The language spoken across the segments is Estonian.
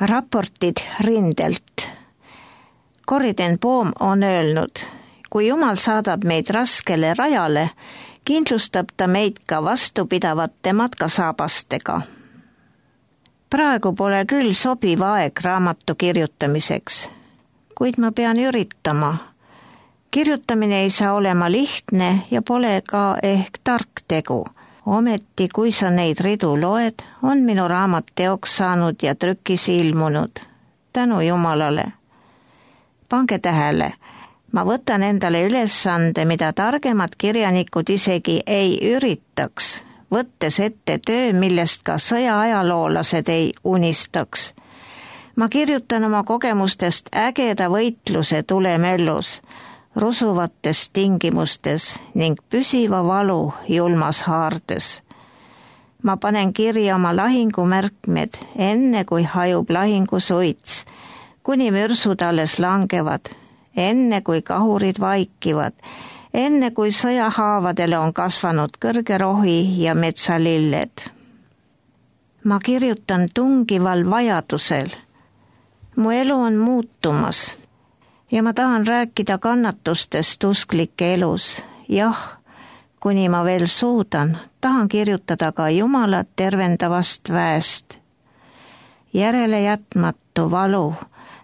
Raportid rindelt. Corrie ten Boom on öelnud, kui Jumal saadab meid raskele rajale, kindlustab ta meid ka vastupidavate matkasaabastega. Praegu pole küll sobiv aeg raamatu kirjutamiseks, kuid ma pean üritama. Kirjutamine ei saa olema lihtne ja pole ka ehk tark tegu. Ometi, kui sa neid ridu loed, on minu raamat teoks saanud ja trükis ilmunud. Tänu Jumalale. Pange tähele, ma võtan endale ülesande, mida targemad kirjanikud isegi ei üritaks, võttes ette töö, millest ka sõjaajaloolased ei unistaks. Ma kirjutan oma kogemustest ägeda võitluse tulemöllus, rusuvates tingimustes ning püsiva valu julmas haardes. Ma panen kirja oma lahingumärkmed enne, kui hajub lahingusuits, kuni mürsud alles langevad, enne kui kahurid vaikivad, enne kui sõjahaavadele on kasvanud kõrge rohi ja metsalilled. Ma kirjutan tungival vajadusel. Mu elu on muutumas. Ja ma tahan rääkida kannatustest usklike elus. Jah, kuni ma veel suudan, tahan kirjutada ka Jumala tervendavast väest. Järelejätmatu valu,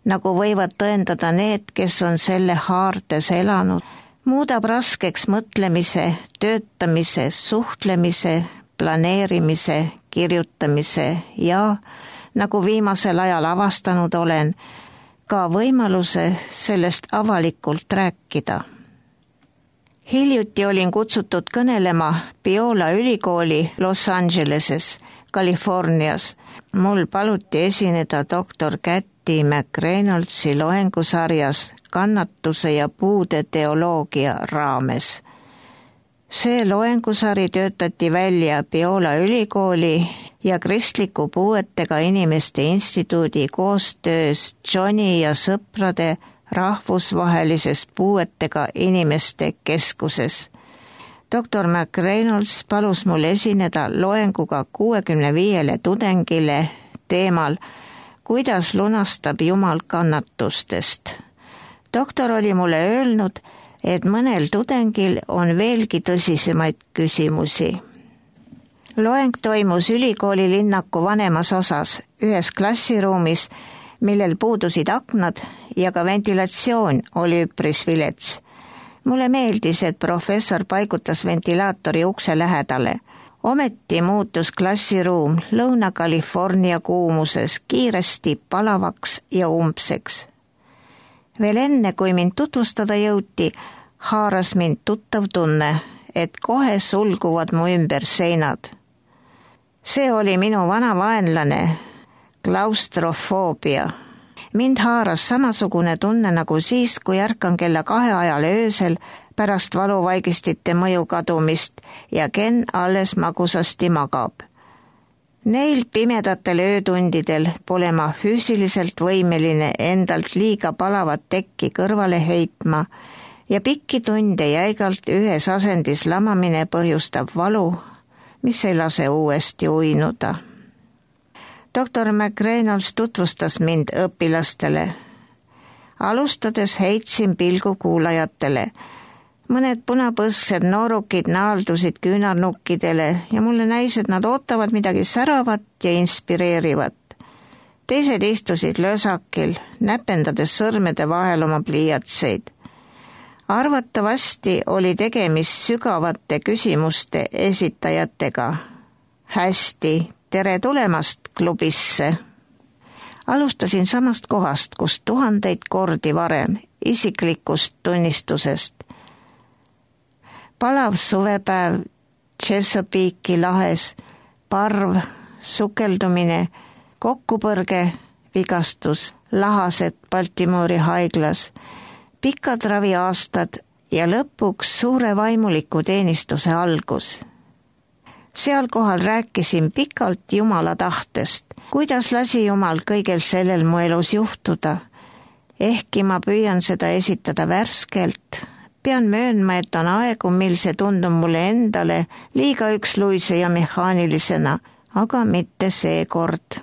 nagu võivad tõendada need, kes on selle haardes elanud, muudab raskeks mõtlemise, töötamise, suhtlemise, planeerimise, kirjutamise ja, nagu viimasel ajal avastanud olen, ka võimaluse sellest avalikult rääkida. Hiljuti olin kutsutud kõnelema Biola ülikooli Los Angeleses, Californias. Mul paluti esineda doktor Kathy McReynoldsi loengusarjas kannatuse ja puude teoloogia raames. See loengusari töötati välja Biola ülikooli ja Kristliku puuetega inimeste instituudi koostöös Johni ja sõprade rahvusvahelises puuetega inimeste keskuses. Dr. McReynolds palus mul esineda loenguga 65 tudengile teemal, kuidas lunastab Jumal kannatustest. Doktor oli mulle öelnud, et mõnel tudengil on veelgi tõsisemaid küsimusi. Loeng toimus ülikooli linnaku vanemas osas, ühes klassiruumis, millel puudusid aknad ja ka ventilatsioon oli üpris vilets. Mulle meeldis, et professor paigutas ventilaatori ukse lähedale. Ometi muutus klassiruum Lõuna-California kuumuses kiiresti palavaks ja umbseks. Veel enne, kui mind tutvustada jõuti, haaras mind tuttav tunne, et kohe sulguvad mu ümber seinad. See oli minu vana vaenlane, klaustrofoobia. Mind haaras samasugune tunne nagu siis, kui ärkan kella 2 ajal öösel pärast valuvaigistite mõju kadumist ja Ken alles magusasti magab. Neil pimedatel öötundidel pole ma füüsiliselt võimeline endalt liiga palavat tekki kõrvale heitma ja pikki tunde jäigalt ühes asendis lamamine põhjustab valu, mis ei lase uuesti uinuda. Dr. McReynolds tutvustas mind õpilastele. Alustades heitsin pilgu kuulajatele. Mõned punapõsksed noorukid naaldusid küünarnukkidele ja mulle näis, et nad ootavad midagi säravat ja inspireerivat. Teised istusid löösakil, näpendades sõrmede vahel oma pliiatseid. Arvatavasti oli tegemist sügavate küsimuste esitajatega. Hästi, tere tulemast klubisse. Alustasin samast kohast, kus 1000 kordi varem, isiklikust tunnistusest. Palav suvepäev Chesapeake'i lahes, parv, sukeldumine, kokkupõrge, vigastus, lahased Baltimoori haiglas, pikad raviaastad ja lõpuks suure vaimuliku teenistuse algus. Seal kohal rääkisin pikalt Jumala tahtest, kuidas lasi Jumal kõigel sellel mu elus juhtuda. Ehkki ma püüan seda esitada värskelt, pean möönma, et on aegu, mil see tundub mulle endale liiga üksluise ja mehaanilisena, aga mitte seekord.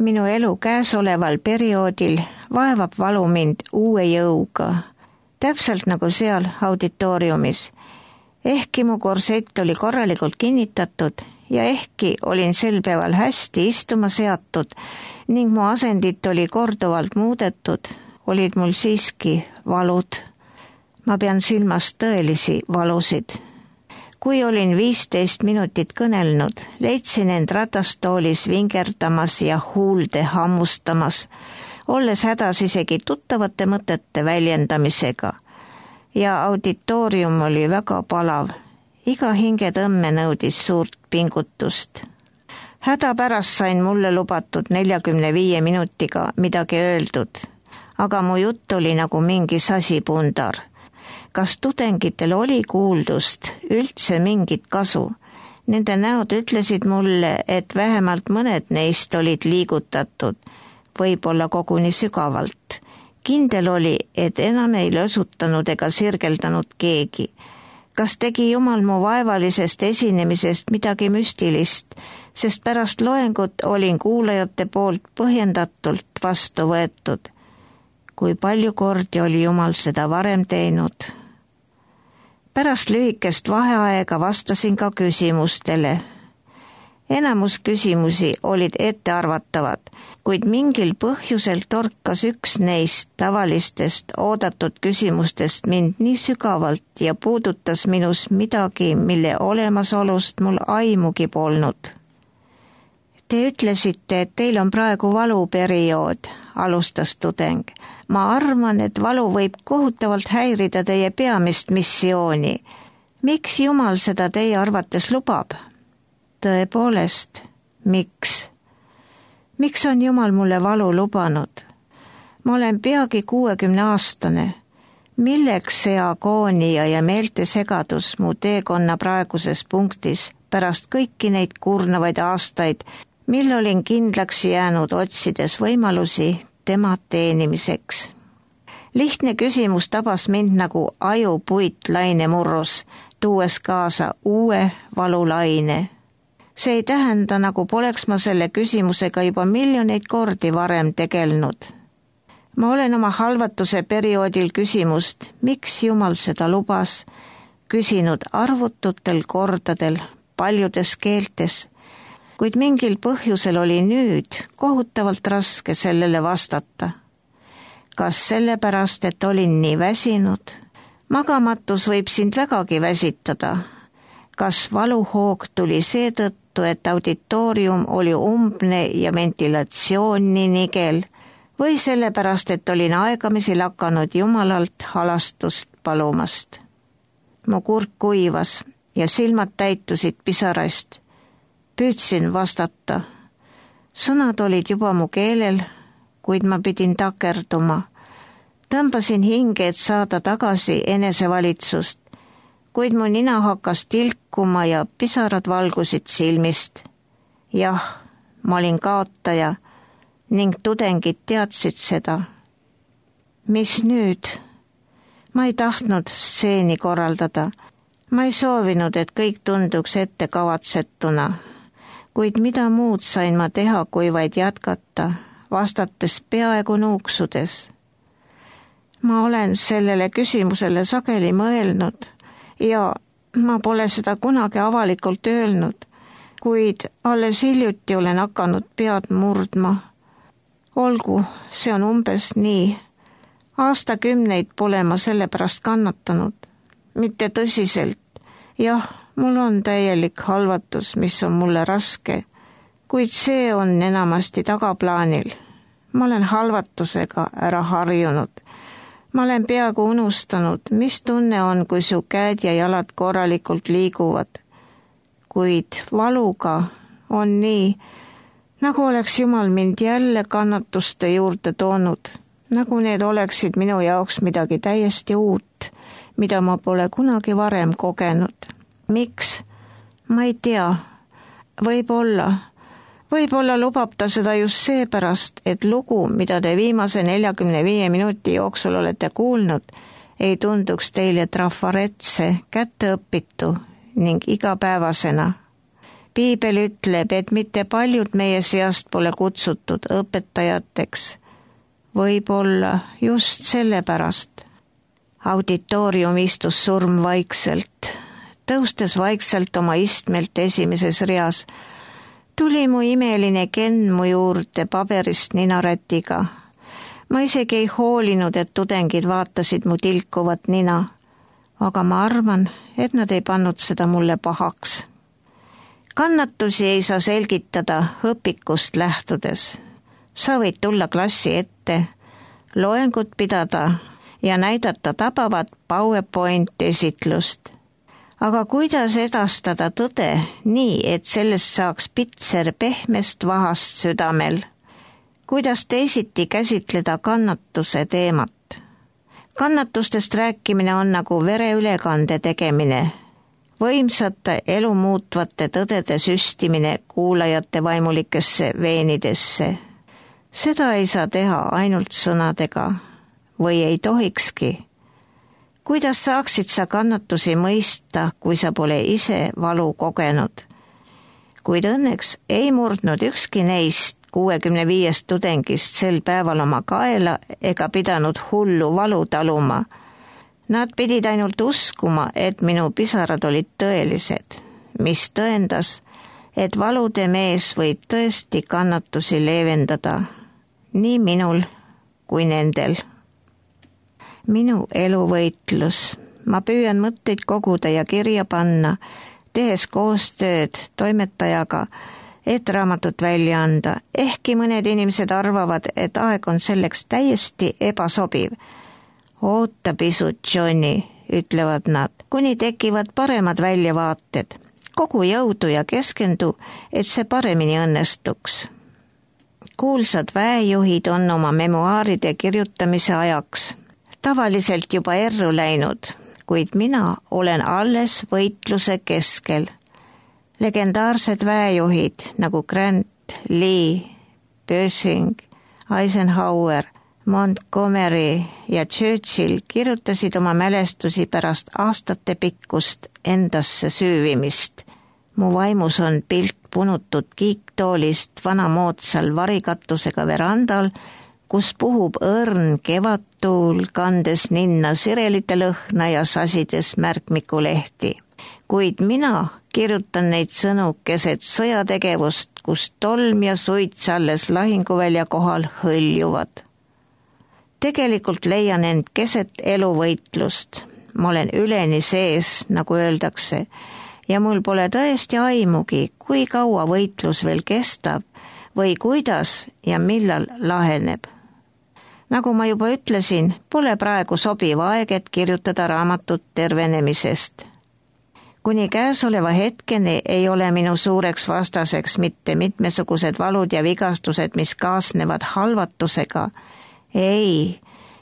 Minu elu käesoleval perioodil vaevab valu mind uue jõuga, täpselt nagu seal auditooriumis. Ehkki mu korsett oli korralikult kinnitatud ja ehkki olin sel päeval hästi istuma seatud ning mu asendit oli korduvalt muudetud, olid mul siiski valud. Ma pean silmas tõelisi valusid. Kui olin 15 minutit kõnelnud, leidsin end ratastoolis vingerdamas ja huulde hammustamas, olles hädas isegi tuttavate mõtete väljendamisega. Ja auditoorium oli väga palav. Iga hingetõmme nõudis suurt pingutust. Hädapärast sain mulle lubatud 45 minutiga midagi öeldud, aga mu jutt oli nagu mingi sasipundar. Kas tudengitel oli kuuldust, üldse mingit kasu? Nende näod ütlesid mulle, et vähemalt mõned neist olid liigutatud, võib-olla koguni sügavalt. Kindel oli, et enam ei lösutanud ega sirgeldanud keegi. Kas tegi Jumal mu vaevalisest esinemisest midagi müstilist, sest pärast loengut olin kuulajate poolt põhjendatult vastu võetud. Kui palju kordi oli Jumal seda varem teinud? Pärast lühikest vaheaega vastasin ka küsimustele. Enamus küsimusi olid ettearvatavad, kuid mingil põhjusel torkas üks neist tavalistest oodatud küsimustest mind nii sügavalt ja puudutas minus midagi, mille olemasolust mul aimugi polnud. Te ütlesite, et teil on praegu valuperiood, alustas tudeng. Ma arvan, et valu võib kohutavalt häirida teie peamist missiooni. Miks Jumal seda teie arvates lubab? Tõepoolest, miks? Miks on Jumal mulle valu lubanud? Ma olen peagi 60-aastane. Milleks see agoonia ja meeltesegadus mu teekonna praeguses punktis pärast kõiki neid kurnavaid aastaid, mil olin kindlaks jäänud otsides võimalusi tema teenimiseks? Lihtne küsimus tabas mind nagu ajupuit lainemurrus, tuues kaasa uue valulaine. See ei tähenda, nagu poleks ma selle küsimusega juba miljoneid kordi varem tegelenud. Ma olen oma halvatuse perioodil küsimust, miks Jumal seda lubas, küsinud arvututel kordadel, paljudes keeltes, kuid mingil põhjusel oli nüüd kohutavalt raske sellele vastata. Kas sellepärast, et olin nii väsinud? Magamatus võib sind vägagi väsitada. Kas valuhoog tuli seetõttu, et auditoorium oli umbne ja ventilatsioon nii nigel, või sellepärast, et olin aegamisi lakanud Jumalalt halastust palumast? Mu kurk kuivas ja silmad täitusid pisarast. Püüdsin vastata. Sõnad olid juba mu keelel, kuid ma pidin takerduma. Tõmbasin hinge, et saada tagasi enesevalitsust, kuid mu nina hakkas tilkuma ja pisarad valgusid silmist. Jah, ma olin kaotaja ning tudengid teadsid seda. Mis nüüd? Ma ei tahtnud stseeni korraldada. Ma ei soovinud, et kõik tunduks ette kavatsetuna, kuid mida muud sain ma teha, kui vaid jätkata, vastates peaaegu nuuksudes. Ma olen sellele küsimusele sageli mõelnud ja ma pole seda kunagi avalikult öelnud, kuid alles hiljuti olen hakanud pead murdma. Olgu, see on umbes nii. Aastakümneid pole ma selle pärast kannatanud. Mitte tõsiselt. Jah, mul on täielik halvatus, mis on mulle raske, kuid see on enamasti tagaplaanil. Ma olen halvatusega ära harjunud. Ma olen peaaegu unustanud, mis tunne on, kui su käed ja jalad korralikult liiguvad. Kuid valuga on nii, nagu oleks Jumal mind jälle kannatuste juurde toonud, nagu need oleksid minu jaoks midagi täiesti uut, mida ma pole kunagi varem kogenud. Miks? Ma ei tea. Võib-olla lubab ta seda just seepärast, et lugu, mida te viimase 45 minuti jooksul olete kuulnud, ei tunduks teile trafaretse, kätteõpitu ning igapäevasena. Piibel ütleb, et mitte paljud meie seast pole kutsutud õpetajateks. Võib-olla just sellepärast. Auditoorium istus surm vaikselt. Tõustes vaikselt oma istmelt esimeses reas, tuli mu imeline Ken mu juurde paberist ninarätiga. Ma isegi ei hoolinud, et tudengid vaatasid mu tilkuvat nina, aga ma arvan, et nad ei pannud seda mulle pahaks. Kannatusi ei saa selgitada õpikust lähtudes. Sa võid tulla klassi ette, loengut pidada ja näidata tabavat PowerPoint-esitlust. Aga kuidas edastada tõde nii, et sellest saaks pitser pehmest vahast südamel? Kuidas teisiti käsitleda kannatuse teemat? Kannatustest rääkimine on nagu vereülekande tegemine, võimsate elu muutvate tõdede süstimine kuulajate vaimulikesse veenidesse. Seda ei saa teha ainult sõnadega või ei tohikski. Kuidas saaksid sa kannatusi mõista, kui sa pole ise valu kogenud? Kuid õnneks ei murdnud ükski neist 65 tudengist sel päeval oma kaela ega pidanud hullu valu taluma. Nad pidid ainult uskuma, et minu pisarad olid tõelised, mis tõendas, et valude mees võib tõesti kannatusi leevendada, nii minul kui nendel. Minu eluvõitlus. Ma püüan mõtteid koguda ja kirja panna, tehes koostööd toimetajaga, et raamatut välja anda. Ehkki mõned inimesed arvavad, et aeg on selleks täiesti ebasobiv. Oota pisut, Johnny, ütlevad nad, kuni tekivad paremad väljavaated. Kogu jõudu ja keskendu, et see paremini õnnestuks. Kuulsad väejuhid on oma memuaaride kirjutamise ajaks tavaliselt juba erru läinud, kuid mina olen alles võitluse keskel. Legendaarsed väejuhid nagu Grant, Lee, Pershing, Eisenhower, Montgomery ja Churchill kirjutasid oma mälestusi pärast aastate pikkust endasse süüvimist. Mu vaimus on pilt punutud kiiktoolist vanamoodsal varikatusega verandal, kus puhub õrn kevadtuul, kandes ninna sirelite lõhna ja sasides märkmikulehti. Kuid mina kirjutan neid sõnu keset sõjategevust, kus tolm ja suits alles lahinguvälja kohal hõljuvad. Tegelikult leian end keset eluvõitlust. Ma olen üleni sees, nagu öeldakse, ja mul pole tõesti aimugi, kui kaua võitlus veel kestab või kuidas ja millal laheneb. Nagu ma juba ütlesin, pole praegu sobiv aeg, et kirjutada raamatut tervenemisest. Kuni käesoleva hetkeni ei ole minu suureks vastaseks mitte mitmesugused valud ja vigastused, mis kaasnevad halvatusega. Ei,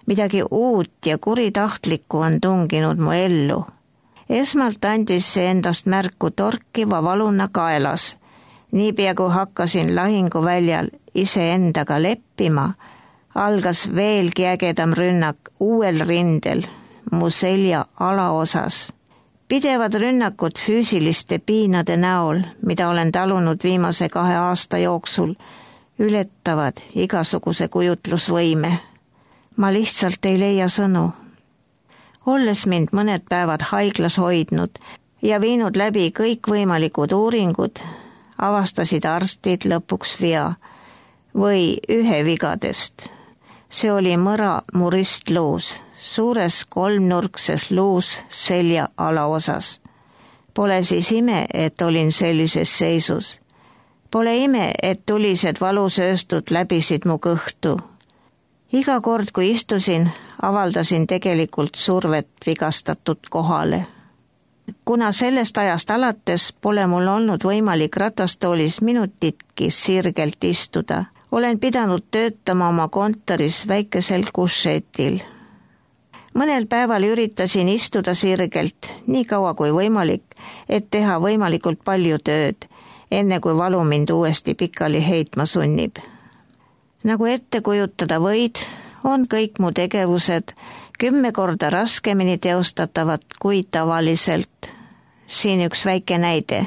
midagi uut ja kuritahtlikku on tunginud mu ellu. Esmalt andis see endast märku torkiva valuna kaelas. Niipea kui hakkasin lahinguväljal iseendaga leppima, algas veelgi ägedam rünnak uuel rindel, mu selja alaosas. Pidevad rünnakud füüsiliste piinade näol, mida olen talunud viimase 2 aasta jooksul, ületavad igasuguse kujutlusvõime. Ma lihtsalt ei leia sõnu. Olles mind mõned päevad haiglas hoidnud ja viinud läbi kõikvõimalikud uuringud, avastasid arstid lõpuks vea või ühe vigadest. See oli mõra mu ristluus, suures 3-nurkses luus selja alaosas. Pole siis ime, et olin sellises seisus. Pole ime, et tulised valusööstud läbisid mu kõhtu. Iga kord, kui istusin, avaldasin tegelikult survet vigastatud kohale. Kuna sellest ajast alates pole mul olnud võimalik ratastoolis minutitki sirgelt istuda, olen pidanud töötama oma kontoris väikesel kušetil. Mõnel päeval üritasin istuda sirgelt, nii kaua kui võimalik, et teha võimalikult palju tööd, enne kui valu mind uuesti pikali heitma sunnib. Nagu ette kujutada võid, on kõik mu tegevused 10 korda raskemini teostatavad kui tavaliselt. Siin üks väike näide.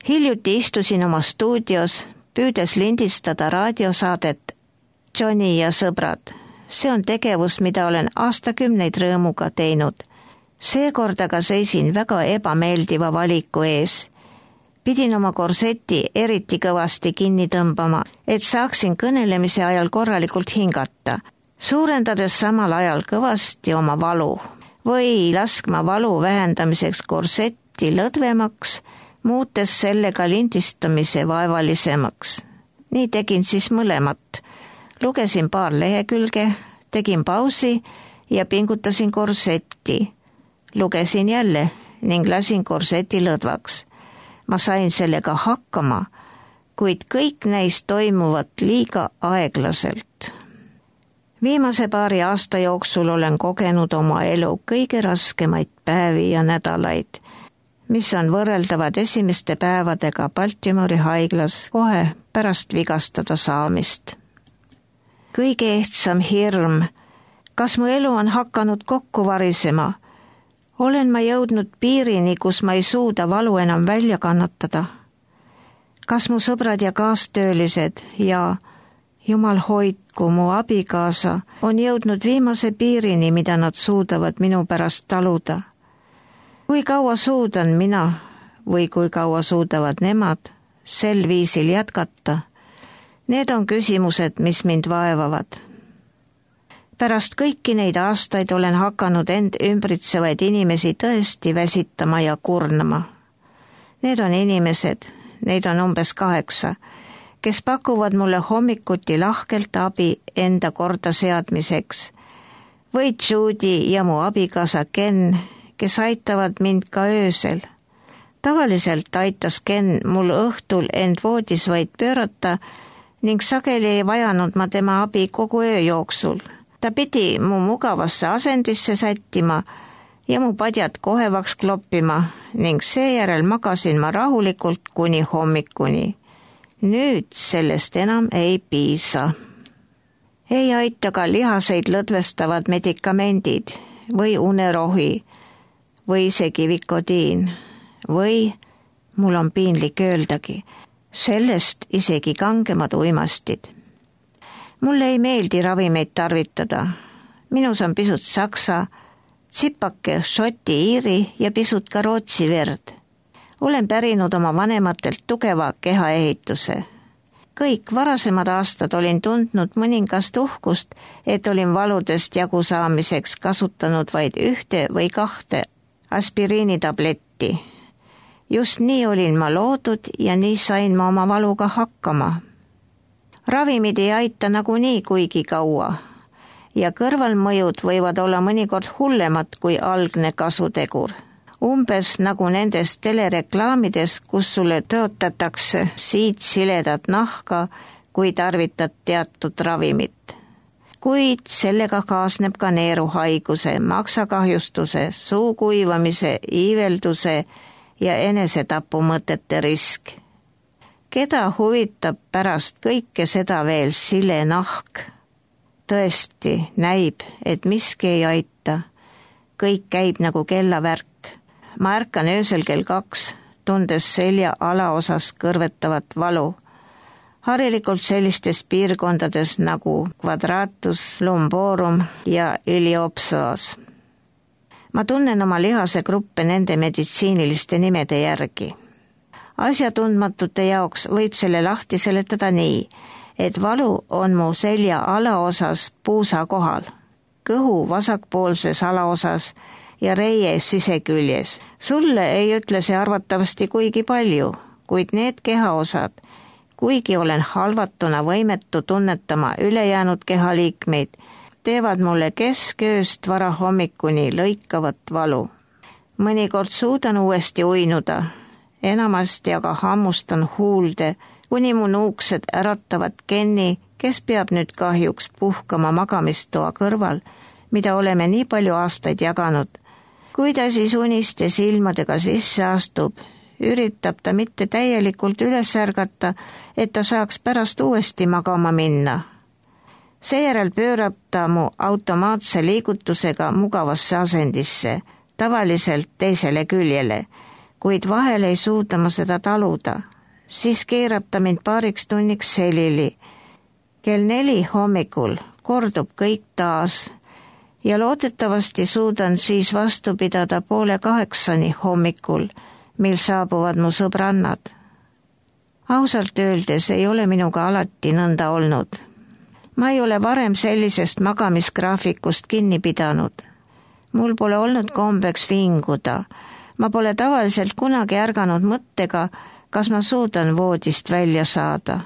Hiljuti istusin oma stuudios, püüdes lindistada raadiosaadet Johnny ja sõbrad. See on tegevus, mida olen aastakümneid rõõmuga teinud. Seekord aga seisin väga ebameeldiva valiku ees. Pidin oma korseti eriti kõvasti kinni tõmbama, et saaksin kõnelemise ajal korralikult hingata, suurendades samal ajal kõvasti oma valu või laskma valu vähendamiseks korsetti lõdvemaks, muutes sellega lindistamise vaevalisemaks. Nii tegin siis mõlemat. Lugesin paar lehekülge, tegin pausi ja pingutasin korsetti. Lugesin jälle ning lasin korseti lõdvaks. Ma sain sellega hakkama, kuid kõik näis toimuvat liiga aeglaselt. Viimase paari aasta jooksul olen kogenud oma elu kõige raskemaid päevi ja nädalaid, mis on võrreldavad esimeste päevadega Baltimori haiglas kohe pärast vigastada saamist. Kõige ehtsam hirm, kas mu elu on hakanud kokku varisema? Olen ma jõudnud piirini, kus ma ei suuda valu enam välja kannatada? Kas mu sõbrad ja kaastöölised ja Jumal hoidku mu abikaasa on jõudnud viimase piirini, mida nad suudavad minu pärast taluda? Kui kaua suudan mina või kui kaua suudavad nemad sel viisil jätkata? Need on küsimused, mis mind vaevavad. Pärast kõiki neid aastaid olen hakanud end ümbritsevaid inimesi tõesti väsitama ja kurnama. Need on inimesed, neid on umbes 8, kes pakuvad mulle hommikuti lahkelt abi enda korda seadmiseks. Või Judy ja mu abikaasa Ken, kes aitavad mind ka öösel. Tavaliselt aitas Ken mul õhtul end voodis vaid pöörata ning sageli ei vajanud ma tema abi kogu öö jooksul. Ta pidi mu mugavasse asendisse sättima ja mu padjad kohevaks kloppima ning seejärel magasin ma rahulikult kuni hommikuni. Nüüd sellest enam ei piisa. Ei aita ka lihaseid lõdvestavad medikamendid või unerohi või isegi vikodiin või, mul on piinlik öeldagi, sellest isegi kangemad uimastid. Mulle ei meeldi ravimeid tarvitada. Minus on pisut saksa, tsipake šoti, iiri ja pisut ka rootsi verd. Olen pärinud oma vanematelt tugeva kehaehituse. Kõik varasemad aastad olin tundnud mõningast uhkust, et olin valudest jagu saamiseks kasutanud vaid 1 või 2 aspiriinitabletti. Just nii olin ma loodud ja nii sain ma oma valuga hakkama. Ravimid ei aita nagunii kuigi kaua ja kõrvalmõjud võivad olla mõnikord hullemad kui algne kasutegur. Umbes nagu nendes telereklaamides, kus sulle tõotatakse siledat nahka, kui tarvitad teatud ravimit. Kuid sellega kaasneb ka neeruhaiguse, maksakahjustuse, suu kuivamise, iivelduse ja enesetapumõtete risk. Keda huvitab pärast kõike seda veel sile nahk? Tõesti näib, et miski ei aita. Kõik käib nagu kellavärk. Ma ärkan öösel kell 2, tundes selja alaosas kõrvetavat valu. Harilikult sellistes piirkondades nagu quadratus lumborum ja iliopsoas. Ma tunnen oma lihasegruppe nende meditsiiniliste nimede järgi. Asjatundmatute jaoks võib selle lahti seletada nii, et valu on mu selja alaosas puusa kohal, kõhu vasakpoolses alaosas ja reie siseküljes. Sulle ei ütle see arvatavasti kuigi palju, kuid need kehaosad, kuigi olen halvatuna võimetu tunnetama ülejäänud kehaliikmeid, teevad mulle keskööst varahommikuni lõikavat valu. Mõnikord suudan uuesti uinuda, enamasti aga hammustan huulde, kuni mu nuuksed äratavad Kenni, kes peab nüüd kahjuks puhkama magamistoa kõrval, mida oleme nii palju aastaid jaganud. Kui ta siis uniste silmadega sisse astub, üritab ta mitte täielikult üles ärgata, et ta saaks pärast uuesti magama minna. Seejärel pöörab ta mu automaatse liigutusega mugavasse asendisse, tavaliselt teisele küljele, kuid vahel ei suuda ma seda taluda. Siis keerab ta mind paariks tunniks selili. Kell 4 hommikul kordub kõik taas ja loodetavasti suudan siis vastu pidada 7:30 hommikul, mil saabuvad mu sõbrannad. Ausalt öeldes ei ole minuga alati nõnda olnud. Ma ei ole varem sellisest magamisgraafikust kinni pidanud. Mul pole olnud kombeks vinguda. Ma pole tavaliselt kunagi ärganud mõttega, kas ma suudan voodist välja saada.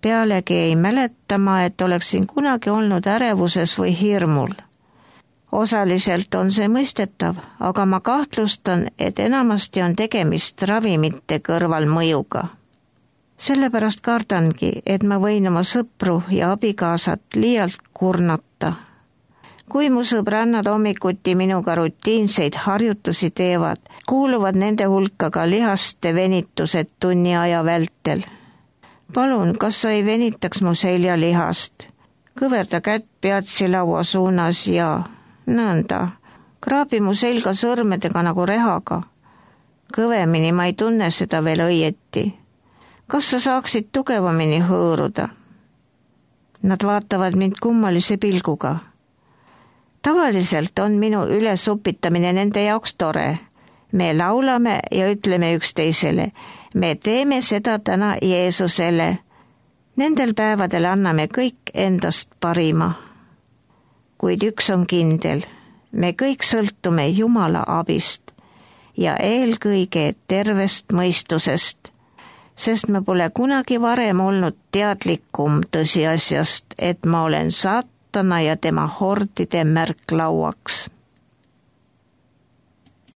Pealegi ei mäleta ma, et oleksin kunagi olnud ärevuses või hirmul. Osaliselt on see mõistetav, aga ma kahtlustan, et enamasti on tegemist ravimite kõrvalmõjuga. Sellepärast kardangi, et ma võin oma sõpru ja abikaasat liialt kurnata. Kui mu sõbrannad hommikuti minuga rutiinseid harjutusi teevad, kuuluvad nende hulka ka lihaste venitused tunni aja vältel. Palun, kas sa ei venitaks mu seljalihast? Kõverda kätt peatsilaua suunas ja nõnda. Kraabi mu selga sõrmedega nagu rehaga. Kõvemini ma ei tunne seda veel õieti. Kas sa saaksid tugevamini hõõruda? Nad vaatavad mind kummalise pilguga. Tavaliselt on minu ülesupitamine nende jaoks tore. Me laulame ja ütleme üksteisele, me teeme seda täna Jeesusele. Nendel päevadel anname kõik endast parima. Kuid üks on kindel, me kõik sõltume Jumala abist ja eelkõige tervest mõistusest, sest ma pole kunagi varem olnud teadlikum tõsiasjast, et ma olen saatana ja tema hordide märklauaks.